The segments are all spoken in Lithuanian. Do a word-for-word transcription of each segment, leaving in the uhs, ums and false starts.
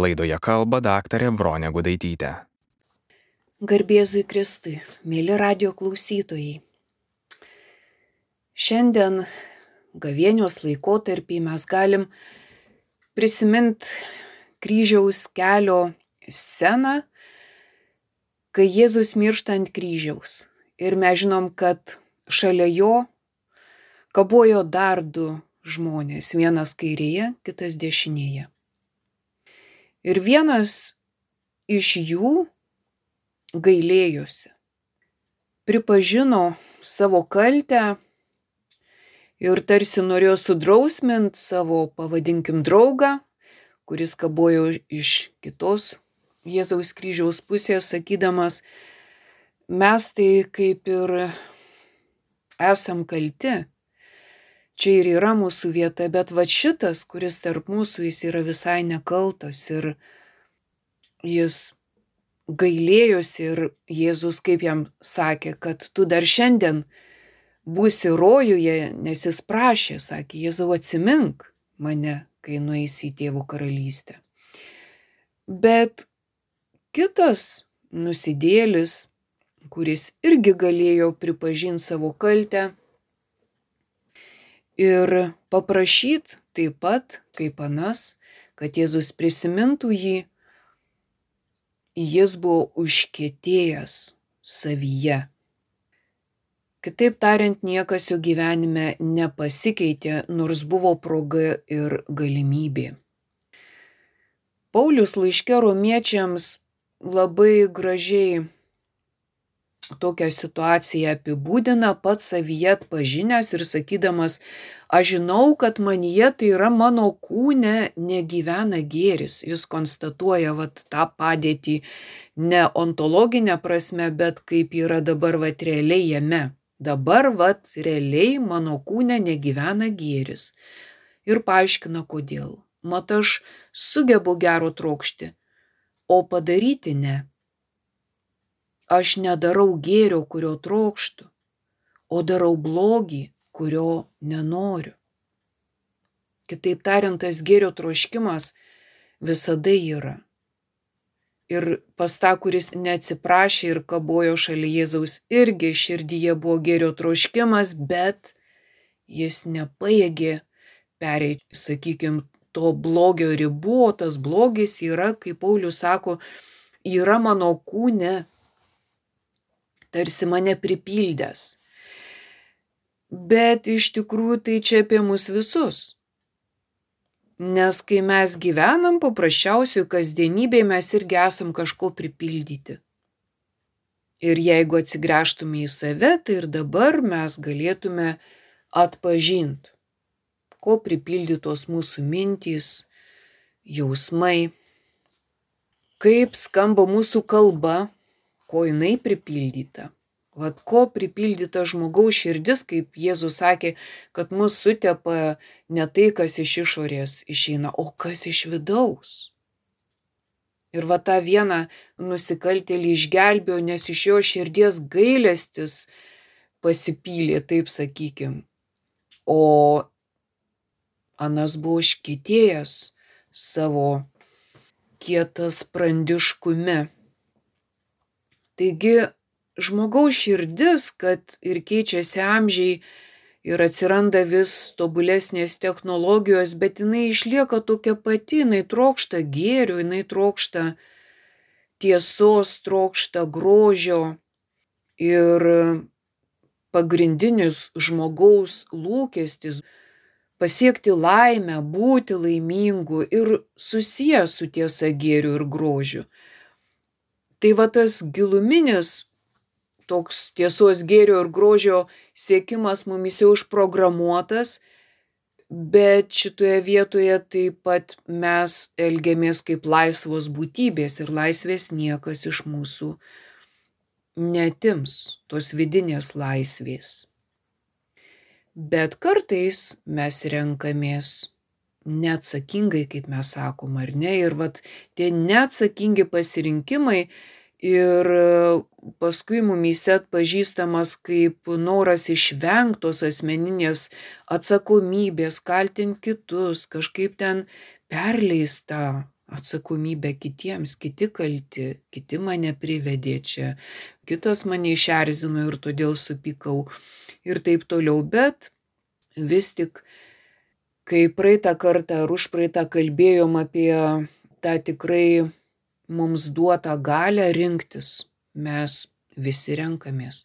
Laidoje kalba daktarė Bronė Gudaitytė. Garbėzui Kristui, mėly radio klausytojai. Šiandien gavėnios laikotarpį mes galim prisiminti kryžiaus kelio sceną, kai Jėzus miršta ant kryžiaus. Ir mes žinom, kad šalia jo kabojo dar du žmonės, vienas kairėje, kitas dešinėje. Ir vienas iš jų gailėjosi, pripažino savo kaltę ir tarsi norėjo sudrausmint savo, pavadinkim, draugą, kuris kabojo iš kitos Jėzaus kryžiaus pusės, sakydamas, mes tai kaip ir esam kalti, čia ir yra mūsų vieta, bet va šitas, kuris tarp mūsų, jis yra visai nekaltas ir jis gailėjosi ir Jėzus kaip jam sakė, kad tu dar šiandien būsi rojuje, nes jis prašė, sakė, Jėzau atsimink mane, kai nueisi į Tėvo karalystę. Bet kitas nusidėlis, kuris irgi galėjo pripažinti savo kaltę ir paprašyti taip pat, kaip anas, kad Jėzus prisimintų jį, jis buvo užkietėjęs savyje. Kitaip tariant, niekas jo gyvenime nepasikeitė, nors buvo proga ir galimybė. Paulius laiške romiečiams labai gražiai tokią situaciją apibūdina, pats savyje atpažinęs ir sakydamas, aš žinau, kad manyje, tai yra mano kūne, negyvena gėris. Jis konstatuoja vat, tą padėtį ne ontologinę prasme, bet kaip yra dabar vat, realiai jame. Dabar vat, realiai mano kūne negyvena gėris. Ir paaiškina, kodėl. Mat aš sugebu gero trokšti, o padaryti ne. Aš nedarau gėrio, kurio trokštu, o darau blogį, kurio nenoriu. Kitaip tariant, tas gėrio troškimas visada yra. Ir pas tą, kuris neatsiprašė ir kabojo šalia Jėzaus, irgi širdyje buvo gėrio troškimas, bet jis nepajėgė pereiti, sakykime, to blogio ribų, o tas blogis yra, kaip Paulius sako, yra mano kūne, tarsi mane pripildęs. Bet iš tikrųjų tai čia apie mus visus. Nes kai mes gyvenam paprasčiausiai kasdienybėje, mes irgi esam kažko pripildyti. Ir jeigu atsigręžtume į save, tai ir dabar mes galėtume atpažinti, ko pripildytos mūsų mintys, jausmai, kaip skamba mūsų kalba, ko jinai pripildyta. Vat ko pripildyta žmogaus širdis, kaip Jėzus sakė, kad mus sutepa ne tai, kas iš išorės išeina, o kas iš vidaus. Ir va tą vieną nusikaltėlį išgelbėjo, nes iš jo širdies gailestis pasipylė, taip sakykim. O anas buvo užkietėjęs savo kietassprandiškume. Taigi žmogaus širdis, kad ir keičiasi amžiai ir atsiranda vis tobulesnės technologijos, bet jinai išlieka tokia pati, jinai trokšta gėrio, jinai trokšta tiesos, trokšta grožio ir pagrindinis žmogaus lūkestis pasiekti laimę, būti laimingu ir susijęs su tiesa, gėriu ir grožiu. Tai va tas giluminis toks tiesos, gėrio ir grožio siekimas mumis jau užprogramuotas, bet šitoje vietoje taip pat mes elgiamės kaip laisvos būtybės ir laisvės niekas iš mūsų neatims, tos vidinės laisvės. Bet kartais mes renkamės neatsakingai, kaip mes sakom, ar ne? Ir vat tie neatsakingi pasirinkimai ir paskui mumyse atpažįstamas kaip noras išvengtos asmeninės atsakomybės, kaltinti kitus, kažkaip ten perleista atsakomybę kitiems, kiti kalti, kiti mane privedė čia, kitas mane išerzino ir todėl supykau ir taip toliau, bet vis tik, kai praeitą kartą ar užpraeitą kalbėjom apie tą tikrai mums duotą galią rinktis, mes visi renkamės.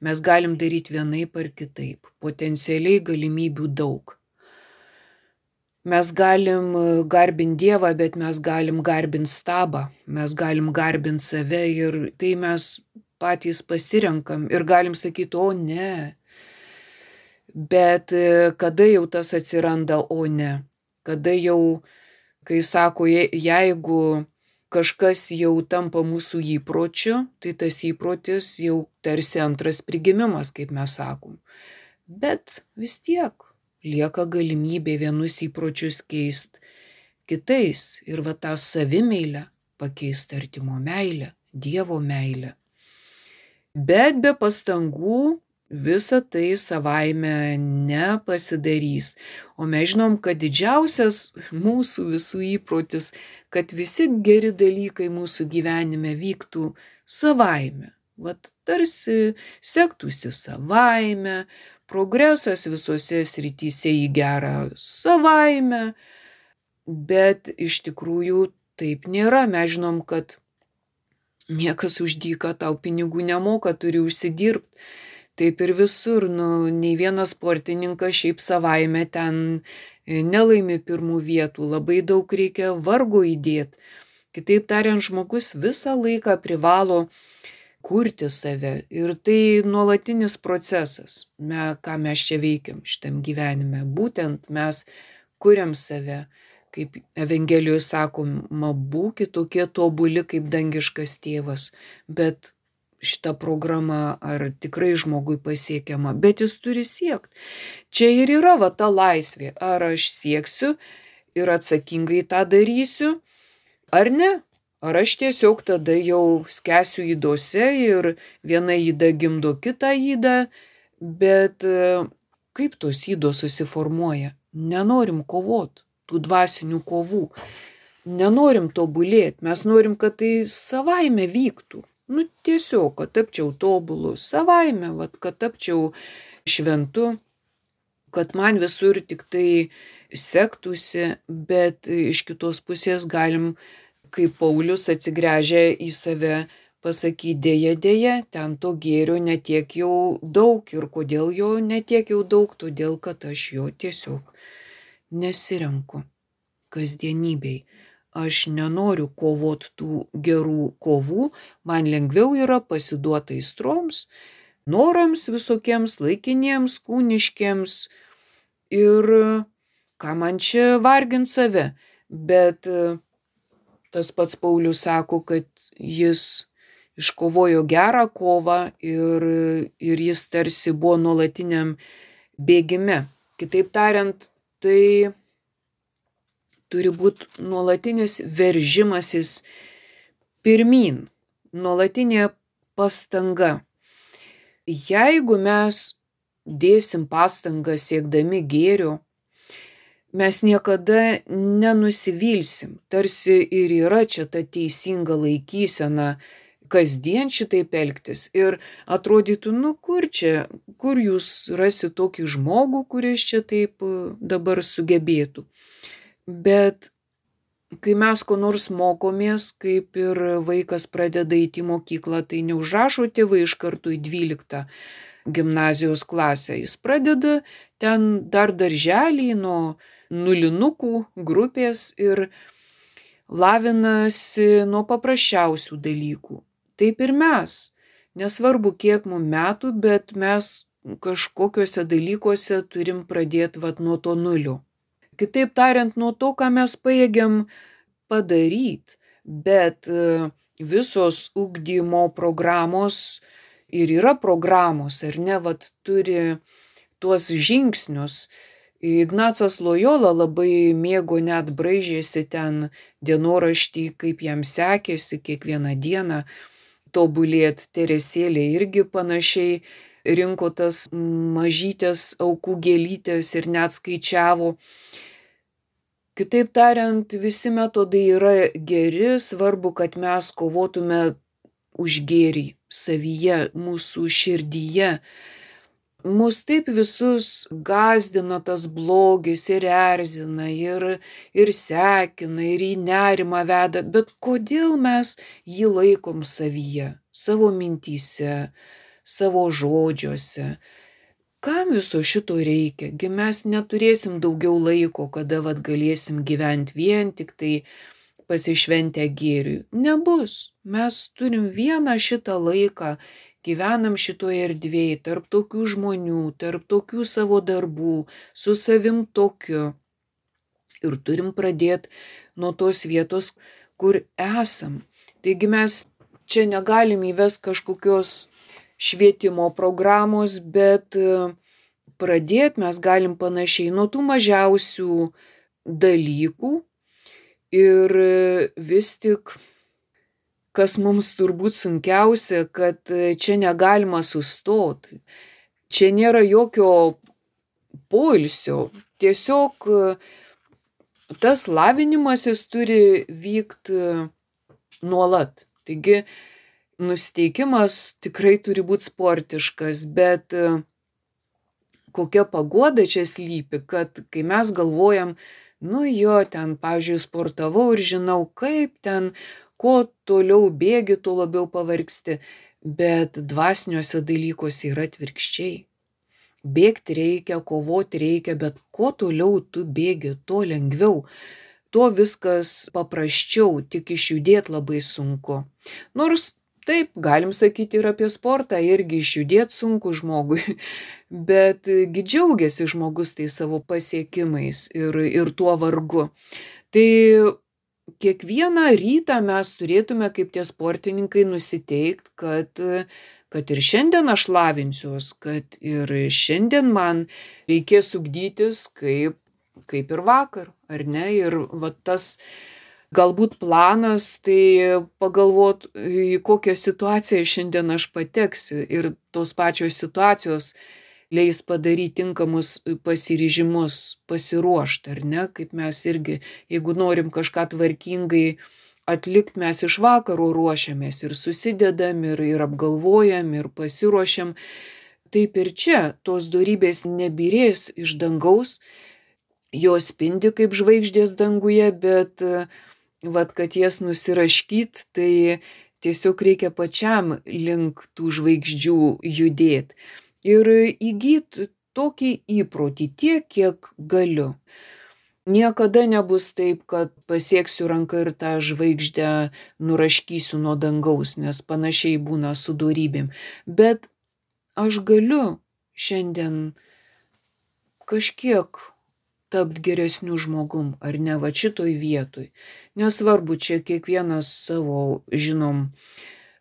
Mes galim daryti vienaip ar kitaip. Potencialiai galimybių daug. Mes galim garbinti Dievą, bet mes galim garbinti stabą. Mes galim garbinti save ir tai mes patys pasirenkam ir galim sakyti, o ne. Bet kada jau tas atsiranda, o ne. Kada jau, kai sako, jeigu kažkas jau tampa mūsų įpročiu, tai tas įprotis jau tarsi antras prigimimas, kaip mes sakom. Bet vis tiek lieka galimybė vienus įpročius keisti kitais ir va tą savimeilę pakeisti artimo meilę, Dievo meilę. Bet be pastangų visa tai savaime nepasidarys. O mes žinom, kad didžiausias mūsų visų įprotis, kad visi geri dalykai mūsų gyvenime vyktų savaime. Vat tarsi sektųsi savaime, progresas visose srityse į gerą savaime, bet iš tikrųjų taip nėra. Mes žinom, kad niekas už dyką tau pinigų nemoka, turi užsidirbti. Taip ir visur, nu, nei vienas sportininkas šiaip savaime ten nelaimi pirmų vietų, labai daug reikia vargo įdėti. Kitaip tariant, žmogus visą laiką privalo kurti save ir tai nuolatinis procesas, me, ką mes čia veikiam šitam gyvenime. Būtent mes kuriam save, kaip Evangelijoje sakoma, būkit tokie tobuli kaip dangiškas tėvas, bet šita programa ar tikrai žmogui pasiekiama, bet jis turi siekti. Čia ir yra va ta laisvė, ar aš sieksiu ir atsakingai tą darysiu, ar ne. Ar aš tiesiog tada jau skęsiu ydose ir viena yda gimdo kitą ydą, bet kaip tos ydos susiformuoja? Nenorim kovot, tų dvasinių kovų. Nenorim tobulėti, mes norim, kad tai savaime vyktų. Nu tiesiog, kad tapčiau tobulu, savaime, vat, kad tapčiau šventu, kad man visur tik tai sektųsi, bet iš kitos pusės galim, kaip Paulius atsigręžia į save, pasakyti dėja, dėja, ten to gėrio netiek jau daug. Ir kodėl jo netiek jau daug? Todėl, kad aš jo tiesiog nesirenku kasdienybei. Aš nenoriu kovot tų gerų kovų, man lengviau yra pasiduoti aistroms, norams visokiems laikiniems, kūniškiems ir ką man čia vargint save. Bet tas pats Paulius sako, kad jis iškovojo gerą kovą ir, ir jis tarsi buvo nuolatiniam bėgime. Kitaip tariant, tai turi būti nuolatinis veržimasis pirmyn, nuolatinė pastanga. Jeigu mes dėsim pastangą siekdami gėrio, mes niekada nenusivilsim. Tarsi ir yra čia ta teisinga laikysena kasdien šitaip elgtis. Ir atrodytų, nu kur čia, kur jūs rasi tokį žmogų, kuris čia taip dabar sugebėtų. Bet kai mes ko nors mokomės, kaip ir vaikas pradeda eiti į mokyklą, tai neužrašo tėvai iš karto į dvyliktą gimnazijos klasę. Jis pradeda ten dar darželį nuo nulinukų grupės ir lavinasi nuo paprasčiausių dalykų. Taip ir mes. Nesvarbu, kiek mums metų, bet mes kažkokiuose dalykuose turim pradėti vat nuo to nulio. Kitaip tariant, nuo to, ką mes pajėgiam padaryti, bet visos ugdymo programos ir yra programos, ar ne, vat turi tuos žingsnius. Ignacas Lojola labai mėgo, net braižėsi ten dienoraštį, kaip jam sekėsi kiekvieną dieną tobulėti. Teresėlė irgi panašiai rinko tas mažytės aukų gėlytės ir net skaičiavo. Kitaip tariant, visi metodai yra geri, svarbu, kad mes kovotume už gėrį savyje, mūsų širdyje. Mus taip visus gąsdina tas blogis ir erzina, ir, ir sekina, ir į nerimą veda, bet kodėl mes jį laikom savyje, savo mintyse, savo žodžiuose? Kam viso šito reikia? Gi mes neturėsim daugiau laiko, kada vat galėsim gyventi vien tik tai pasišventę gėriui. Nebus. Mes turim vieną šitą laiką, gyvenam šitoje erdvėje, tarp tokių žmonių, tarp tokių savo darbų, su savim tokiu. Ir turim pradėti nuo tos vietos, kur esam. Taigi mes čia negalim įvesti kažkokios švietimo programos, bet pradėti mes galim panašiai nuo tų mažiausių dalykų ir vis tik, kas mums turbūt sunkiausia, kad čia negalima sustoti, čia nėra jokio poilsio, tiesiog tas lavinimasis turi vykti nuolat. Taigi nusiteikimas tikrai turi būti sportiškas, bet kokia paguoda čia slypi, kad kai mes galvojam, nu jo, ten, pavyzdžiui, sportavau ir žinau, kaip ten, kuo toliau bėgi, tuo labiau pavargsti, bet dvasiniuose dalykuose yra atvirkščiai. Bėgti reikia, kovoti reikia, bet kuo toliau tu bėgi, tuo lengviau. Tuo viskas paprasčiau, tik išjudėti labai sunku. Nors taip, galim sakyti ir apie sportą, irgi išjudėti sunku žmogui, bet gi džiaugiasi žmogus tai savo pasiekimais ir, ir tuo vargu. Tai kiekvieną rytą mes turėtume kaip tie sportininkai nusiteikti, kad, kad ir šiandien aš lavinsiuos, kad ir šiandien man reikės ugdytis kaip, kaip ir vakar, ar ne? Ir va tas galbūt planas, tai pagalvot, į kokią situaciją šiandien aš pateksiu ir tos pačios situacijos leis padaryti tinkamus pasiryžimus, pasiruošti, ar ne? Kaip mes irgi, jeigu norim kažką tvarkingai atlikti, mes iš vakaro ruošiamės ir susidedam, ir, ir apgalvojam, ir pasiruošiam. Taip ir čia tos dorybės nebyrės iš dangaus, jos spindi kaip žvaigždės danguje, bet vat, kad jas nusiraškyt, tai tiesiog reikia pačiam link tų žvaigždžių judėti. Ir įgyti tokį įprotį tiek, kiek galiu. Niekada nebus taip, kad pasieksiu ranką ir tą žvaigždę nuraškysiu nuo dangaus, nes panašiai būna su dorybėm. Bet aš galiu šiandien kažkiek tapti geresniu žmogum, ar ne, va šitoj vietoj. Nesvarbu, čia kiekvienas savo, žinom,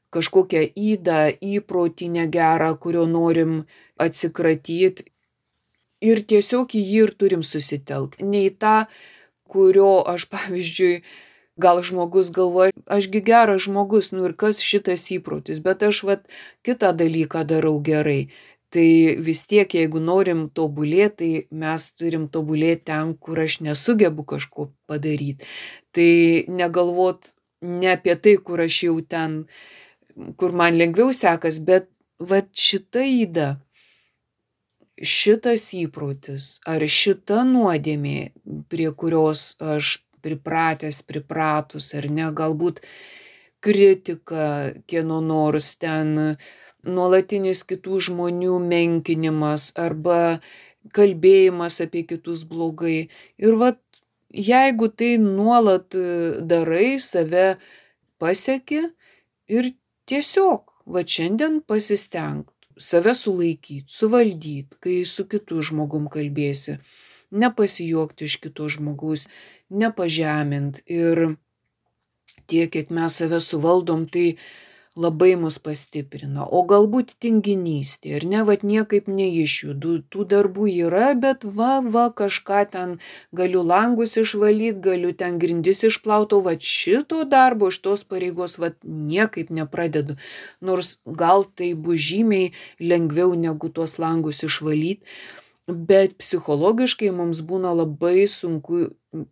kažkokią ydą, įprotį negerą, kurio norim atsikratyti. Ir tiesiog į jį ir turim susitelkti. Ne į tą, kurio aš, pavyzdžiui, gal žmogus galvoja, ašgi geras žmogus, nu ir kas šitas įprotis, bet aš vat kitą dalyką darau gerai. Tai vis tiek, jeigu norim tobulėti, tai mes turim tobulėti ten, kur aš nesugebu kažko padaryti. Tai negalvot ne apie tai, kur aš jau ten, kur man lengviau sekas, bet vat šita yda, šitas įprotis ar šita nuodėmė, prie kurios aš pripratęs, pripratus, ar ne, galbūt kritika, kieno nors ten, nuolatinis kitų žmonių menkinimas arba kalbėjimas apie kitus blogai. Ir vat, jeigu tai nuolat darai, save pasieki ir tiesiog, va šiandien pasistengt, save sulaikyti, suvaldyti, kai su kitu žmogum kalbėsi, nepasijuokti iš kito žmogaus, nepažemint. Ir tiek, kiek mes save suvaldom, tai labai mus pastiprina. O galbūt tinginystė, ir ne, vat niekaip neišjudu, tų darbų yra, bet va, va, kažką ten galiu langus išvalyti, galiu ten grindis išplauti, vat šito darbo, šitos pareigos, vat niekaip nepradedu. Nors gal tai bus žymiai lengviau negu tuos langus išvalyti, bet psichologiškai mums būna labai sunku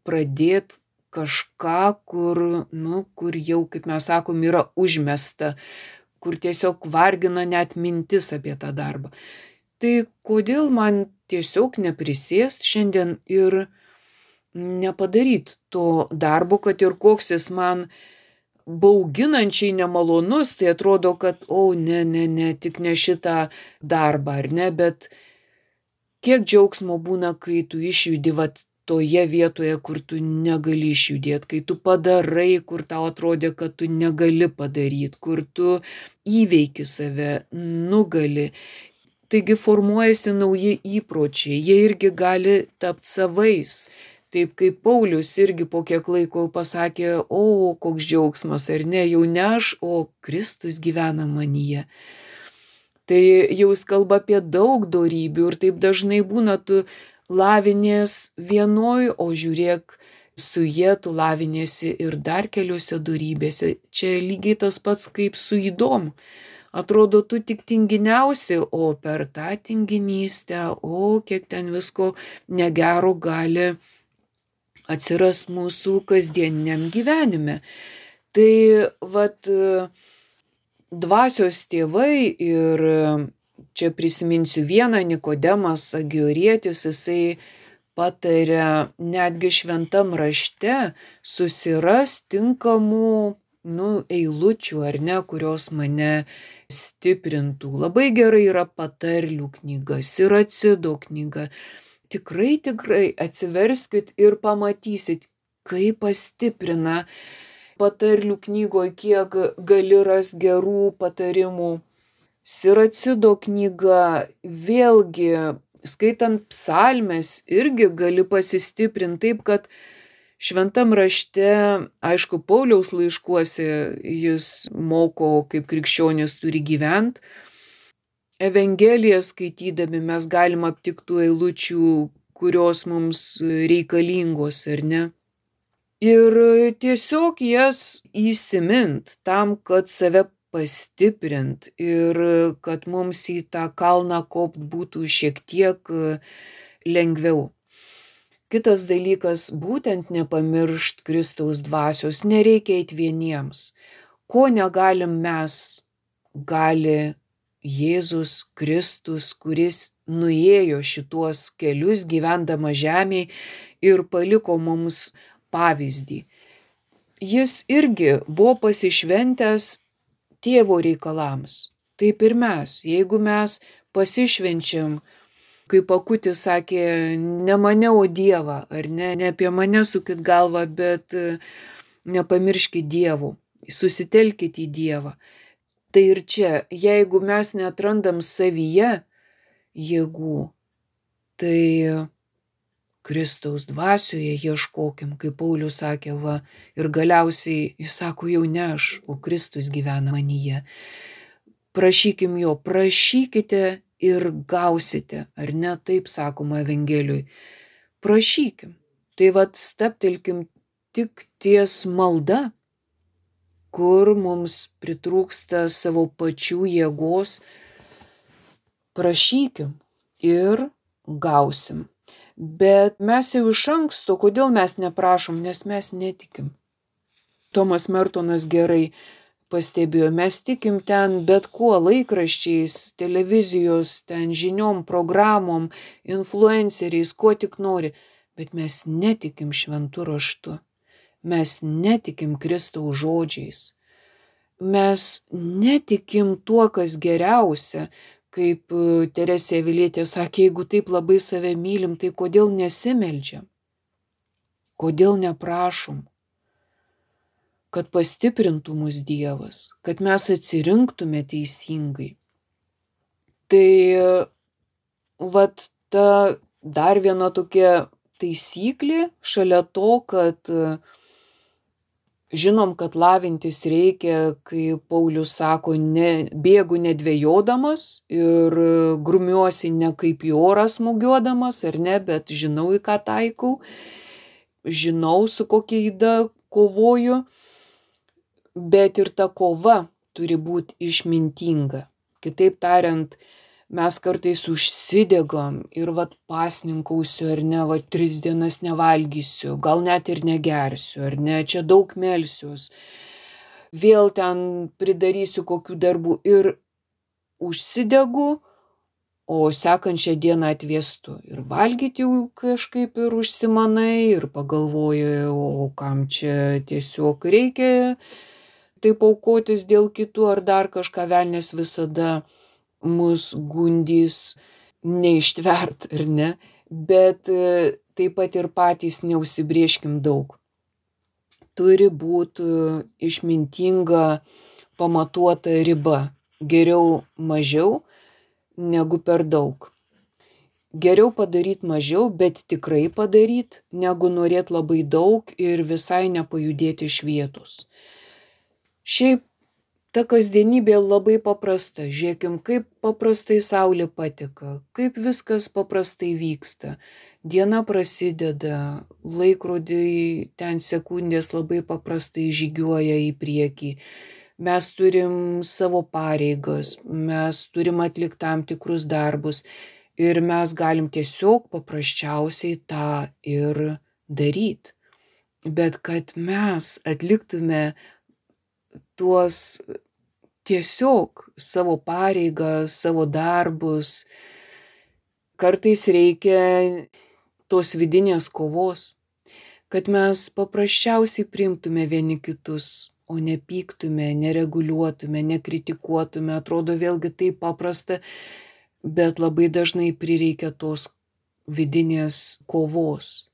pradėti kažką, kur, nu, kur jau, kaip mes sakom, yra užmesta, kur tiesiog vargina net mintis apie tą darbą. Tai kodėl man tiesiog neprisėst šiandien ir nepadaryti to darbo, kad ir koks jis man bauginančiai nemalonus, tai atrodo, kad, o, ne, ne, ne, tik ne šitą darbą, ar ne, bet kiek džiaugsmo būna, kai tu išjudi vat toje vietoje, kur tu negali išjudėti, kai tu padarai, kur tau atrodė, kad tu negali padaryti, kur tu įveiki save, nugali. Taigi formuojasi nauji įpročiai, jie irgi gali tapti savais. Taip kaip Paulius irgi po kiek laiko pasakė, o, koks džiaugsmas, ar ne, jau ne aš, o Kristus gyvena manyje. Tai jau jis kalba apie daug dorybių ir taip dažnai būna, tu lavinies vienoj, o žiūrėk, su jie tu laviniesi ir dar keliose dorybėse. Čia lygiai tas pats kaip su ydom. Atrodo, tu tik tinginiausi, o per tą tinginystę, o kiek ten visko negero gali atsiras mūsų kasdieniniam gyvenime. Tai vat dvasios tėvai ir čia prisiminsiu vieną, Nikodemas Agiorietis, jisai pataria netgi šventam rašte susiras tinkamų, nu, eilučių, ar ne, kurios mane stiprintų. Labai gerai yra patarlių knyga, Siracido knyga. Tikrai, tikrai atsiverskit ir pamatysit, kaip pastiprina patarlių knygoje, kiek gali ras gerų patarimų. Siracido knyga, vėlgi, skaitant psalmes, irgi gali pasistiprinti taip, kad šventam rašte, aišku, Pauliaus laiškuose jis moko, kaip krikščionis turi gyventi. Evangeliją skaitydami mes galim aptikti tų eilučių, kurios mums reikalingos, ar ne? Ir tiesiog jas įsimint tam, kad save pastiprint ir kad mums į tą kalną kopt būtų šiek tiek lengviau. Kitas dalykas, būtent nepamiršt Kristaus dvasios, nereikia eiti vieniems. Ko negalim mes, gali Jėzus Kristus, kuris nuėjo šituos kelius gyvendama žemėje ir paliko mums pavyzdį. Jis irgi buvo pasišventęs tėvo reikalams. Taip ir mes, jeigu mes pasišvenčiam, kaip Akutis sakė, ne mane, o Dievą, ar ne, ne apie mane sukit galvą, bet nepamirškit Dievų, susitelkit į Dievą. Tai ir čia, jeigu mes neatrandam savyje jėgų, tai Kristaus dvasioje ieškokim, kaip Paulius sakė, va, ir galiausiai jis sako, jau ne aš, o Kristus gyvena manyje. Prašykim jo, prašykite ir gausite, ar ne, taip sakoma Evangelijoj. Prašykim, tai vat staptelkim tik ties malda, kur mums pritrūksta savo pačių jėgos, prašykim ir gausim. Bet mes jau iš anksto, kodėl mes neprašom, nes mes netikim. Tomas Mertonas gerai pastebėjo, mes tikim ten bet kuo, laikraščiais, televizijos, ten žiniom, programom, influenceriais, kuo tik nori, bet mes netikim šventu raštu. Mes netikim Kristaus žodžiais. Mes netikim tuo, kas geriausia, kaip Teresė Avilietė sakė, jeigu taip labai save mylim, tai kodėl nesimeldžiam? Kodėl neprašom? Kad pastiprintų mus Dievas, kad mes atsirinktume teisingai. Tai vat ta dar viena tokia taisyklė šalia to, kad žinom, kad lavintis reikia, kai Paulius sako, ne, bėgu nedvejodamas ir grumiuosi ne kaip į orą smūgiuodamas, ar ne, bet žinau, į ką taikau, žinau, su kokia yda kovoju, bet ir ta kova turi būti išmintinga. Kitaip tariant, mes kartais užsidegam ir vat pasninkausiu, ar ne, vat tris dienas nevalgysiu, gal net ir negersiu, ar ne, čia daug melsiuos, vėl ten pridarysiu kokių darbų ir užsidegu, o sekančią dieną atvėstu. Ir valgyti jau kažkaip ir užsimanai, ir pagalvoji, o kam čia tiesiog reikia taip aukotis dėl kitų ar dar kažką, velnias visada mus gundys neištvert, ar ne? Bet taip pat ir patys neužsibrėžkim daug. Turi būti išmintinga, pamatuota riba. Geriau mažiau negu per daug. Geriau padaryti mažiau, bet tikrai padaryti, negu norėti labai daug ir visai nepajudėti iš vietos. Šiaip ta kasdienybė labai paprasta. Žiūrėkim, kaip paprastai saulė pateka, kaip viskas paprastai vyksta. Diena prasideda, laikrodžiai ten sekundės labai paprastai žygiuoja į priekį. Mes turim savo pareigas, mes turim atlikti tam tikrus darbus ir mes galim tiesiog paprasčiausiai tą ir daryti. Bet kad mes atliktume tuos tiesiog savo pareigas, savo darbus, kartais reikia tos vidinės kovos, kad mes paprasčiausiai priimtume vieni kitus, o nepyktume, nereguliuotume, nekritikuotume. Atrodo vėlgi taip paprasta, bet labai dažnai prireikia tos vidinės kovos,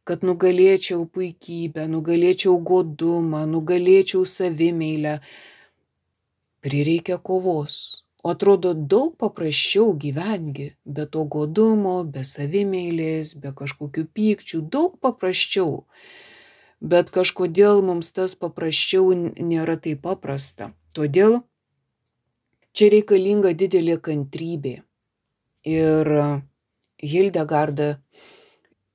kad nugalėčiau puikybę, nugalėčiau godumą, nugalėčiau savimeilę. Prireikia kovos. O atrodo daug paprasčiau gyvengi, be to godumo, be savimeilės, be kažkokių pykčių, daug paprasčiau. Bet kažkodėl mums tas paprasčiau nėra taip paprasta. Todėl čia reikalinga didelė kantrybė. Ir Hildegarda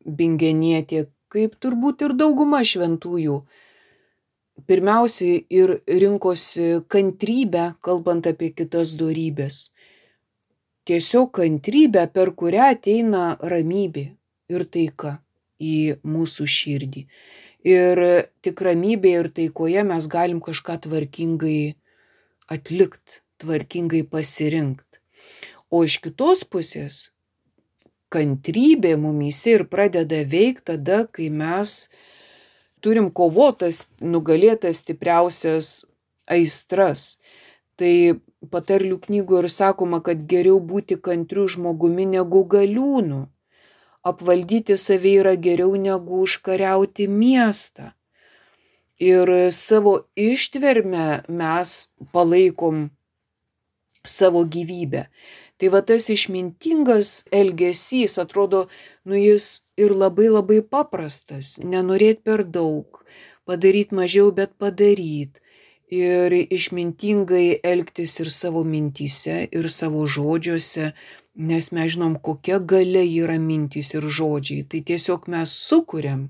Bingenietė, kaip turbūt ir dauguma šventųjų, pirmiausiai ir rinkosi kantrybę, kalbant apie kitas dorybės. Tiesiog kantrybę, per kurią ateina ramybė ir taika į mūsų širdį. Ir tik ramybėje ir taikoje mes galim kažką tvarkingai atlikti, tvarkingai pasirinkti. O iš kitos pusės, kantrybė mumyse ir pradeda veikti tada, kai mes turim kovotas, nugalėtas stipriausias aistras. Tai patarlių knygų ir sakoma, kad geriau būti kantriu žmogumi negu galiūnu. Apvaldyti save yra geriau negu užkariauti miestą. Ir savo ištvermę mes palaikom savo gyvybę. Tai va tas išmintingas elgesys, atrodo, nu jis ir labai labai paprastas. Nenorėti per daug, padaryti mažiau, bet padaryti. Ir išmintingai elgtis ir savo mintyse, ir savo žodžiuose, nes mes žinom, kokia galia yra mintys ir žodžiai. Tai tiesiog mes sukuriam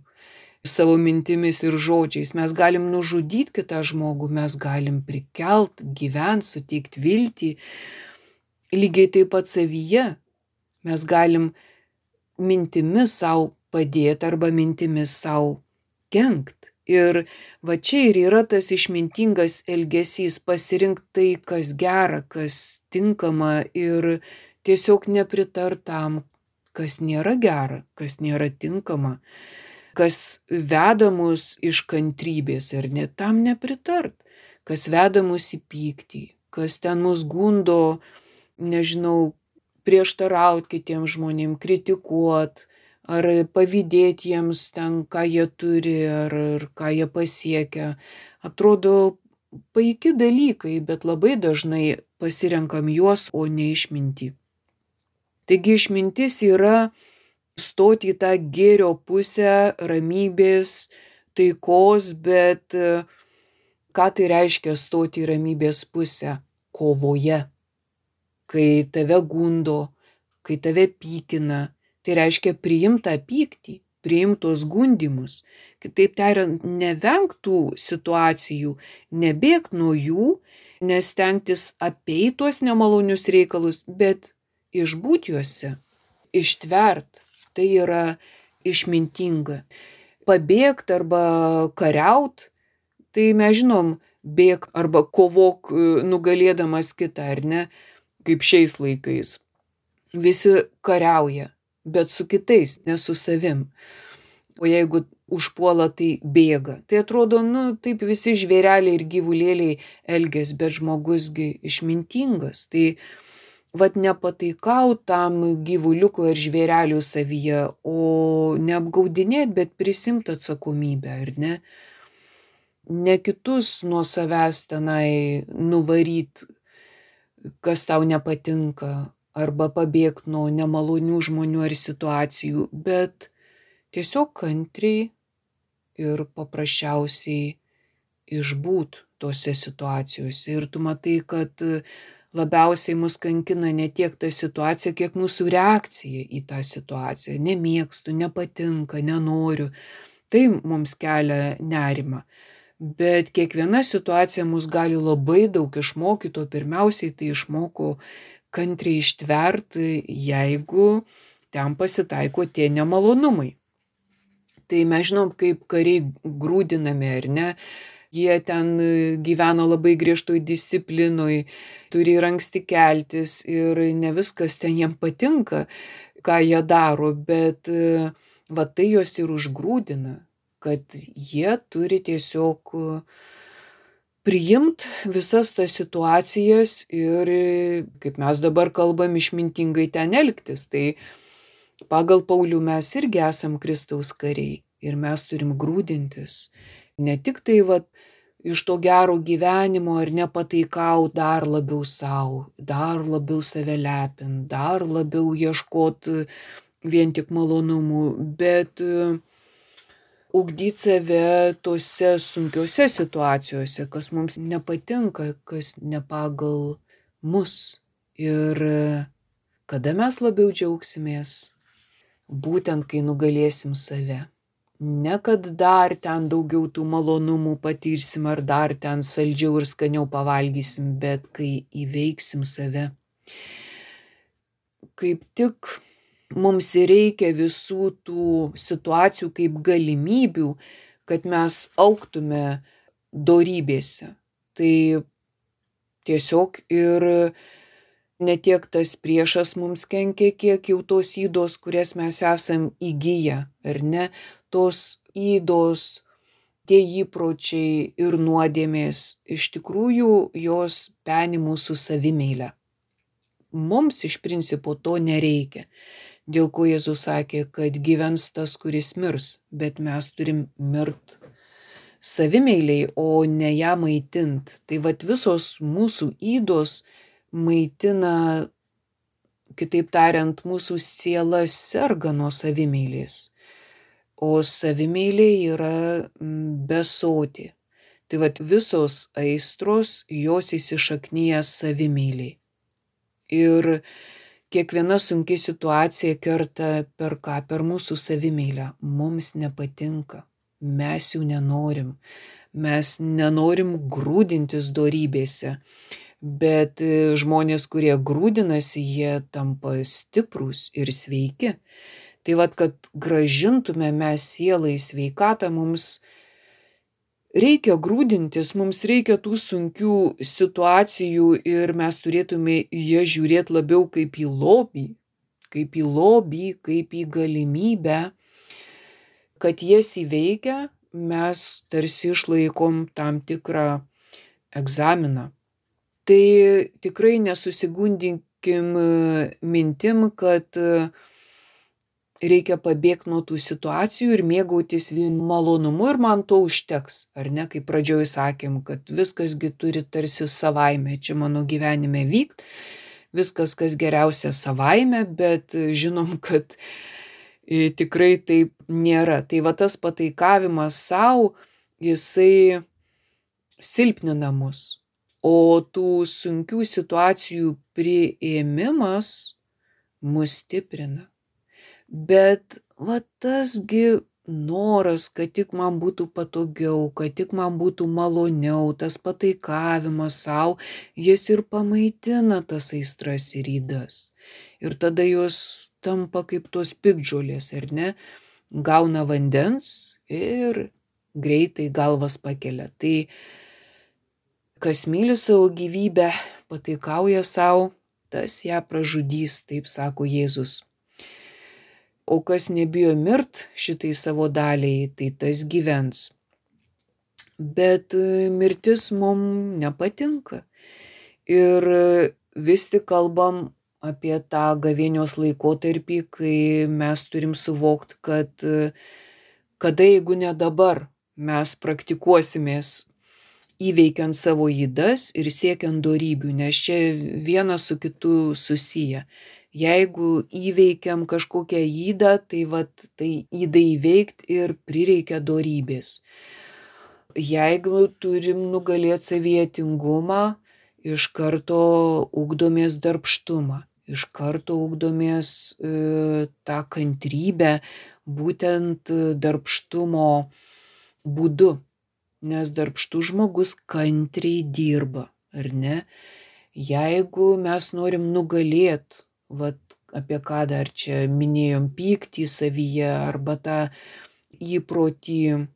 savo mintimis ir žodžiais. Mes galim nužudyti kitą žmogų, mes galim prikelt, gyvent, suteikti viltį. Lygiai taip pat savyje mes galim mintimis savo padėti arba mintimis savo kenkt. Ir va čia ir yra tas išmintingas elgesys, pasirinkti tai, kas gera, kas tinkama ir tiesiog nepritart tam, kas nėra gera, kas nėra tinkama, kas veda mus iš kantrybės ir net tam nepritart, kas veda mus į pyktį, kas ten mus gundo, nežinau, prieštaraut kitiem žmonėm, kritikuot, ar pavydėti jiems ten, ką jie turi, ar, ar ką jie pasiekia. Atrodo paiki dalykai, bet labai dažnai pasirenkam juos, o ne išmintį. Taigi išmintis yra stoti į tą gėrio pusę, ramybės, taikos, bet ką tai reiškia stoti į ramybės pusę? Kovoje. Kai tave gundo, kai tave pykina, tai reiškia priimt tą pyktį, priimt tos gundymus. Kitaip tariant, nevengt tų situacijų, nebėgt nuo jų, nestengtis apeit tuos nemalonius reikalus, bet išbūt juose, ištvert, tai yra išmintinga. Pabėgt arba kariaut, tai mes žinom, bėk arba kovok nugalėdamas kitą, ar ne, kaip šiais laikais. Visi kariauja, bet su kitais, ne su savim. O jeigu užpuola, tai bėga. Tai atrodo, nu, taip visi žvėreliai ir gyvulėliai elgiasi, bet žmogusgi išmintingas. Tai vat nepataikaut tam gyvuliuko ir žvėrelių savyje, o neapgaudinėt, bet prisimt atsakomybę, ar ne? Ne kitus nuo savęs tenai nuvaryt, kas tau nepatinka, arba pabėgt nuo nemalonių žmonių ar situacijų, bet tiesiog kantriai ir paprasčiausiai išbūt tose situacijose. Ir tu matai, kad labiausiai mus kankina ne tiek ta situacija, kiek mūsų reakcija į tą situaciją. Nemėgstu, nepatinka, nenoriu. Tai mums kelia nerimą. Bet kiekviena situacija mus gali labai daug išmokyti, o pirmiausiai tai išmoko kantriai ištverti, jeigu ten pasitaiko tie nemalonumai. Tai mes žinom, kaip kariai grūdinami, ar ne? Jie ten gyvena labai griežtoj disciplinoj, turi ir anksti keltis ir ne viskas ten jiem patinka, ką jie daro, bet va tai juos ir užgrūdina, kad jie turi tiesiog priimt visas tas situacijas ir, kaip mes dabar kalbam, išmintingai ten elgtis. Tai pagal Paulių mes irgi esam Kristaus kariai ir mes turim grūdintis. Ne tik tai va, iš to gero gyvenimo ar nepataikaut dar labiau savo, dar labiau save lepint, dar labiau ieškot vien tik malonumų, bet ugdyt save tose sunkiose situacijose, kas mums nepatinka, kas ne pagal mus. Ir kada mes labiau džiaugsimės? Būtent kai nugalėsim save. Ne kad dar ten daugiau tų malonumų patirsim ar dar ten saldžiau ir skaniau pavalgysim, bet kai įveiksim save. Kaip tik mums reikia visų tų situacijų kaip galimybių, kad mes augtume dorybėse. Tai tiesiog ir ne tiek tas priešas mums kenkia, kiek jau tos ydos, kurias mes esam įgyję, ar ne? Tos ydos, tie įpročiai ir nuodėmės, iš tikrųjų jos peni mūsų savimeilę. Mums iš principo to nereikia. Dėl ko Jėzus sakė, kad gyvens tas, kuris mirs, bet mes turim mirt savimeiliai, o ne ją maitint. Tai vat visos mūsų ydos maitina, kitaip tariant, mūsų siela serga nuo savimeilės. O savimeilė yra besotė. Tai vat visos aistros, jos įsišaknyja savimeiliai. Ir kiekviena sunki situacija kerta per ką? Per mūsų savimeilę. Mums nepatinka. Mes jų nenorim. Mes nenorim grūdintis dorybėse. Bet žmonės, kurie grūdinasi, jie tampa stiprūs ir sveiki. Tai vat, kad gražintume mes sielai sveikatą, mums reikia grūdintis, mums reikia tų sunkių situacijų ir mes turėtume į jas žiūrėti labiau kaip į lobį, kaip į lobį, kaip į galimybę, kad jas įveikę mes tarsi išlaikom tam tikrą egzaminą. Tai tikrai nesusigundykim mintim, kad reikia pabėgti nuo tų situacijų ir mėgautis vien malonumu ir man to užteks, ar ne, kaip pradžioj sakėm, kad viskasgi turi tarsi savaime, čia mano gyvenime vykt, viskas kas geriausia savaime, bet žinom, kad tikrai taip nėra. Tai va tas pataikavimas savo, jisai silpnina mus, o tų sunkių situacijų priėmimas mus stiprina. Bet va tasgi noras, kad tik man būtų patogiau, kad tik man būtų maloniau, tas pataikavimas savo, jis ir pamaitina tas aistras ir ydas. ir tada jos tampa kaip tos piktžolės, ar ne? Gauna vandens ir greitai galvas pakelia. Tai kas myli savo gyvybę, pataikauja savo, tas ją pražudys, taip sako Jėzus. O kas nebijo mirt šitai savo daliai, tai tas gyvens. Bet mirtis mums nepatinka. Ir vis tik kalbam apie tą gavėnios laikotarpį, kai mes turim suvokti, kad kada, jeigu ne dabar, mes praktikuosimės įveikiant savo ydas ir siekiant dorybių, nes čia vienas su kitu susiję. Jeigu įveikiam kažkokią ydą, tai vat tai ydai įveikti ir prireikia dorybės. Jeigu turim nugalėti savyje tingumą, iš karto ugdomės darbštumą, iš karto ugdomės e, tą kantrybę, būtent darbštumo būdu, nes darbštus žmogus kantriai dirba, ar ne? Jeigu mes norim nugalėti, vat apie ką dar čia minėjom, pyktį savyje arba tą įprotį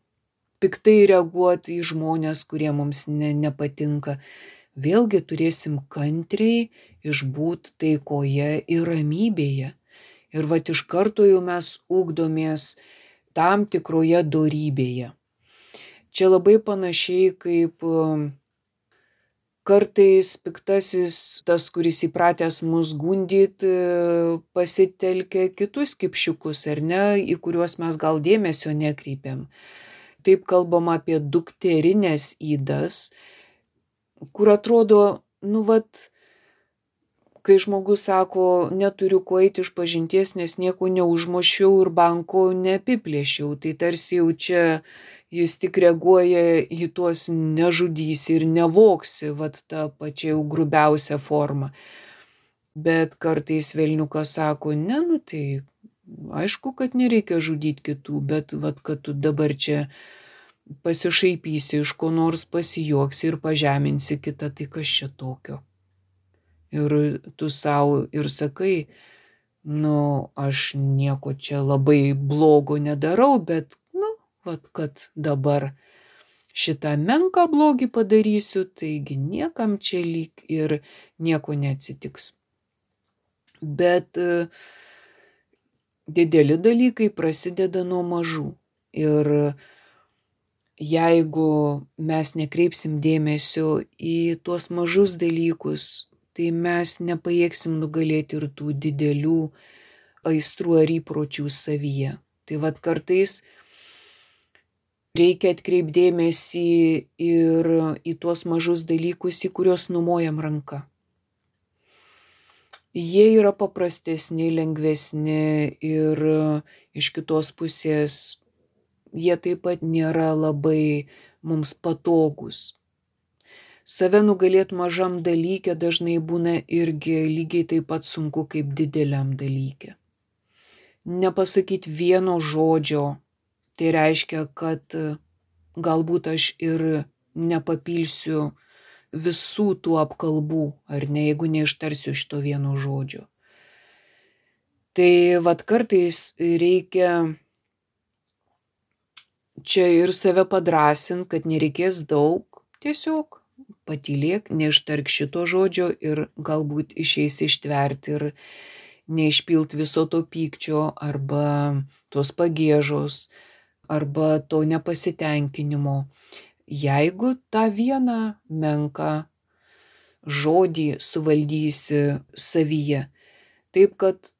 piktai reaguoti į žmonės, kurie mums ne, nepatinka, vėlgi turėsim kantriai išbūt taikoje ir ramybėje. Ir vat iš karto jau mes ugdomės tam tikroje dorybėje. Čia labai panašiai kaip kartais piktasis, tas, kuris įpratęs mus gundyti, pasitelkia kitus kipšiukus, ar ne, į kuriuos mes gal dėmesio nekreipiam. Taip kalbam apie dukterinės ydas, kur atrodo, nu vat, kai žmogus sako, neturiu ko eiti iš pažinties, nes nieko neužmušiau ir banko neapiplėšiau, tai tarsi jau čia jis tik reaguoja į tuos nežudysi ir nevoksi, vat tą pačią jau grubiausią formą. Bet kartais velniukas sako, ne, nu tai aišku, kad nereikia žudyti kitų, bet vat, kad tu dabar čia pasišaipysi, iš ko nors pasijuoksi ir pažeminsi kitą, tai kas čia tokio? Ir tu savo ir sakai, nu, aš nieko čia labai blogo nedarau, bet, nu, vat, kad dabar šitą menką blogį padarysiu, taigi niekam čia lyg ir nieko neatsitiks. Bet dideli dalykai prasideda nuo mažų. Ir jeigu mes nekreipsim dėmesio į tuos mažus dalykus, tai mes nepajėgsim nugalėti ir tų didelių aistrų ar įpročių savyje. Tai vat kartais reikia atkreipti dėmesį ir į tuos mažus dalykus, į kuriuos numojam ranka. Jie yra paprastesni, lengvesni ir iš kitos pusės jie taip pat nėra labai mums patogus. Save nugalėti mažam dalyke dažnai būna irgi lygiai taip pat sunku kaip dideliam dalyke. Nepasakyti vieno žodžio, tai reiškia, kad galbūt aš ir nepapilsiu visų tų apkalbų, ar ne, jeigu neištarsiu šito vieno žodžio. Tai vat kartais reikia čia ir save padrąsinti, kad nereikės daug, tiesiog patylėk, neištark šito žodžio ir galbūt išeis ištverti ir neišpilt viso to pykčio arba tos pagiežos arba to nepasitenkinimo. Jeigu tą vieną menką žodį suvaldysi savyje, taip kad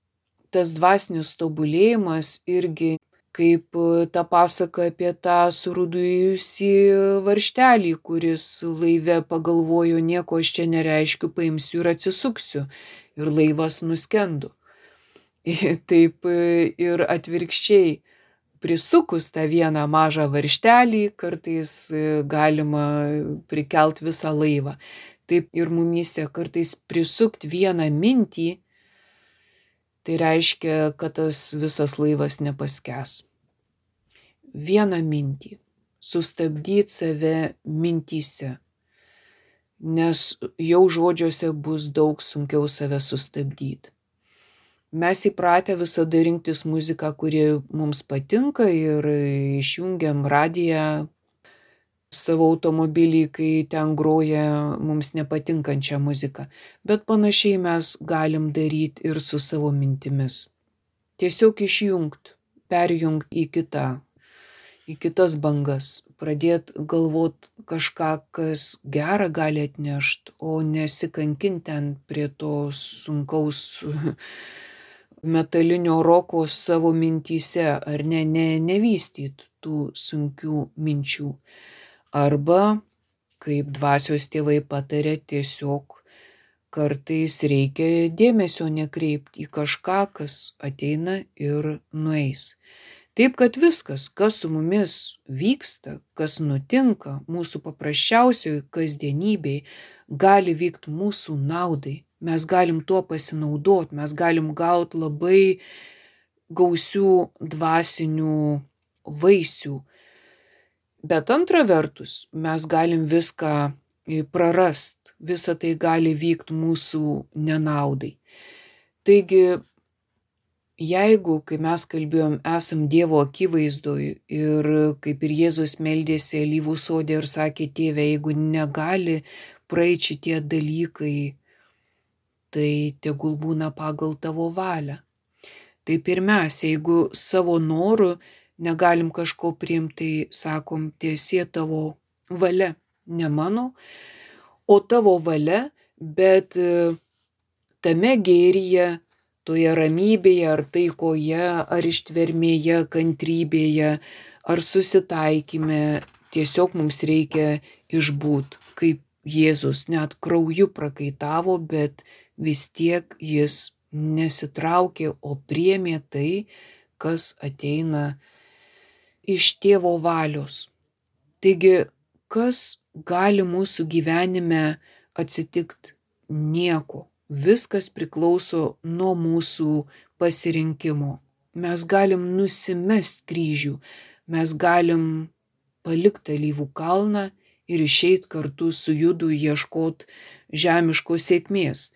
tas dvasinis tobulėjimas irgi kaip ta pasaka apie tą surūdijusį varžtelį, kuris laive pagalvojo, nieko aš čia nereiškiu, paimsiu ir atsisuksiu. Ir laivas nuskendo. Taip ir atvirkščiai, prisukus tą vieną mažą varžtelį, kartais galima prikelt visą laivą. Taip ir mumyse kartais prisukti vieną mintį, tai reiškia, kad tas visas laivas nepaskęs. Vieną mintį. Sustabdyti save mintyse. Nes jau žodžiuose bus daug sunkiau save sustabdyti. Mes įpratę visada rinktis muziką, kuri mums patinka ir išjungiam radiją savo automobilį, kai ten groja mums nepatinkančią muziką. Bet panašiai mes galim daryti ir su savo mintimis. Tiesiog išjungt, perjungt į kitą, į kitas bangas, pradėt galvot kažką, kas gerą gali atnešt, o nesikankint ten prie to sunkaus metalinio roko savo mintyse, ar ne, ne, nevystyt tų sunkių minčių. Arba, kaip dvasios tėvai patarė, tiesiog kartais reikia dėmesio nekreipti į kažką, kas ateina ir nueis. Taip, kad viskas, kas su mumis vyksta, kas nutinka mūsų paprasčiausioj kasdienybėj, gali vykti mūsų naudai. Mes galim tuo pasinaudot, mes galim gauti labai gausių dvasinių vaisių. Bet antra vertus, mes galim viską prarast, visa tai gali vykti mūsų nenaudai. Taigi, jeigu, kai mes kalbėjom, esam Dievo akivaizdoj ir kaip ir Jėzus meldėsi alyvų sode ir sakė, Tėve, jeigu negali praeit šitie dalykai, tai tegul būna pagal tavo valią. Taip ir mes, jeigu savo noru negalim kažko priimti, tai sakom, tiesie tavo valia, ne mano, o tavo valia, bet tame gėryje, toje ramybėje, ar taikoje, ar ištvermėje, kantrybėje, ar susitaikyme, tiesiog mums reikia išbūt, kaip Jėzus net krauju prakaitavo, bet vis tiek jis nesitraukė, o priėmė tai, kas ateina iš tėvo valios. Taigi, kas gali mūsų gyvenime atsitikti? Nieko. Viskas priklauso nuo mūsų pasirinkimo. Mes galim nusimest kryžių, mes galim palikti alyvų kalną ir išeit kartu su Judu ieškot žemiškos sėkmės.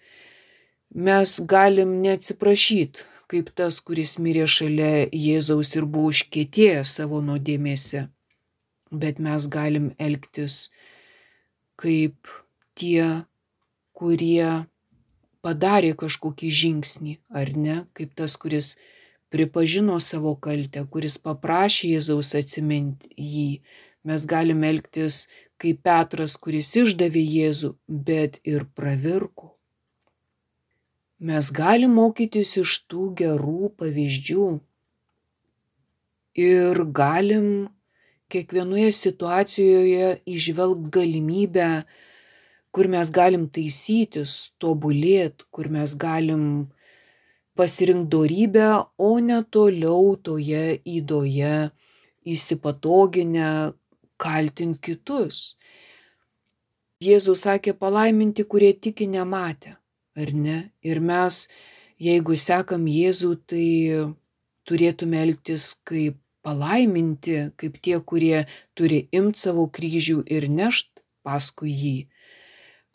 Mes galim neatsiprašyt, kaip tas, kuris mirė šalia Jėzaus ir buvo užkietėjęs savo nuodėmėse. Bet mes galim elgtis kaip tie, kurie padarė kažkokį žingsnį, ar ne? Kaip tas, kuris pripažino savo kaltę, kuris paprašė Jėzaus atsiminti jį. Mes galim elgtis kaip Petras, kuris išdavė Jėzų, bet ir pravirko. Mes galim mokytis iš tų gerų pavyzdžių ir galim kiekvienoje situacijoje įžvelgti galimybę, kur mes galim taisytis, tobulėt, kur mes galim pasirinkti dorybę, o ne toliau toje ydoje įsipatoginę kaltinti kitus. Jėzus sakė, palaiminti, kurie tiki nematę, ar ne? Ir mes, jeigu sekam Jėzų, tai turėtume elgtis kaip palaiminti, kaip tie, kurie turi imti savo kryžių ir nešt paskui jį,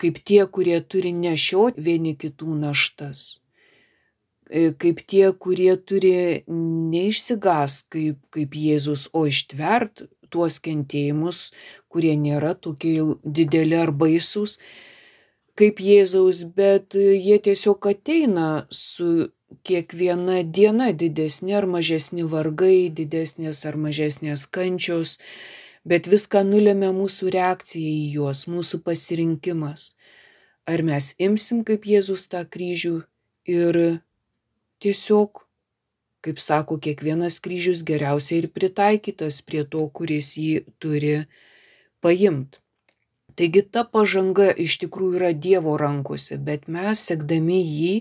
kaip tie, kurie turi nešiot vieni kitų naštas, kaip tie, kurie turi neišsigąst kaip, kaip Jėzus, o ištvert tuos kentėjimus, kurie nėra tokie jau dideli ar baisūs kaip Jėzaus, bet jie tiesiog ateina su kiekviena diena didesni ar mažesni vargai, didesnės ar mažesnės kančios, bet viską nulemia mūsų reakcija į juos, mūsų pasirinkimas. Ar mes imsim kaip Jėzus tą kryžių ir tiesiog, kaip sako, kiekvienas kryžius geriausiai ir pritaikytas prie to, kuris jį turi paimti. Taigi ta pažanga iš tikrųjų yra Dievo rankose, bet mes, sekdami jį,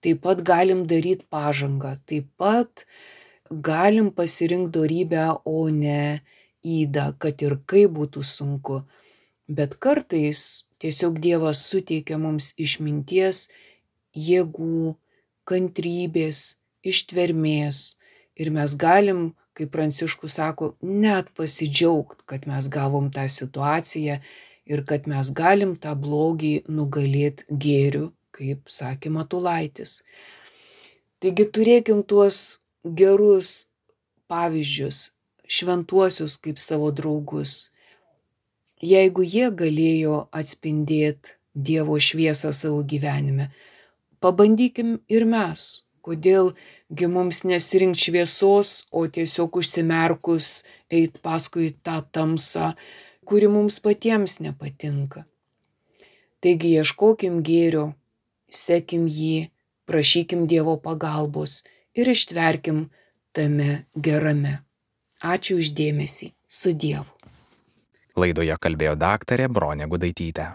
taip pat galim daryti pažangą, taip pat galim pasirinkti dorybę, o ne ydą, kad ir kaip būtų sunku. Bet kartais tiesiog Dievas suteikia mums išminties, jėgų, kantrybės, ištvermės ir mes galim, kaip Pranciškus sako, net pasidžiaugti, kad mes gavom tą situaciją ir kad mes galim tą blogį nugalėti gėriu, kaip sakė Matulaitis. Taigi turėkim tuos gerus pavyzdžius, šventuosius kaip savo draugus. Jeigu jie galėjo atspindėti Dievo šviesą savo gyvenime, pabandykim ir mes. Kodėlgi mums nesirinkti šviesos, o tiesiog užsimerkus eit paskui tą tamsą, kuri mums patiems nepatinka. Taigi ieškokim gėrio, sekim jį, prašykim Dievo pagalbos ir ištverkim tame gerame. Ačiū už dėmesį. Su Dievu. Laidoje kalbėjo daktarė Bronė Gudaitytė.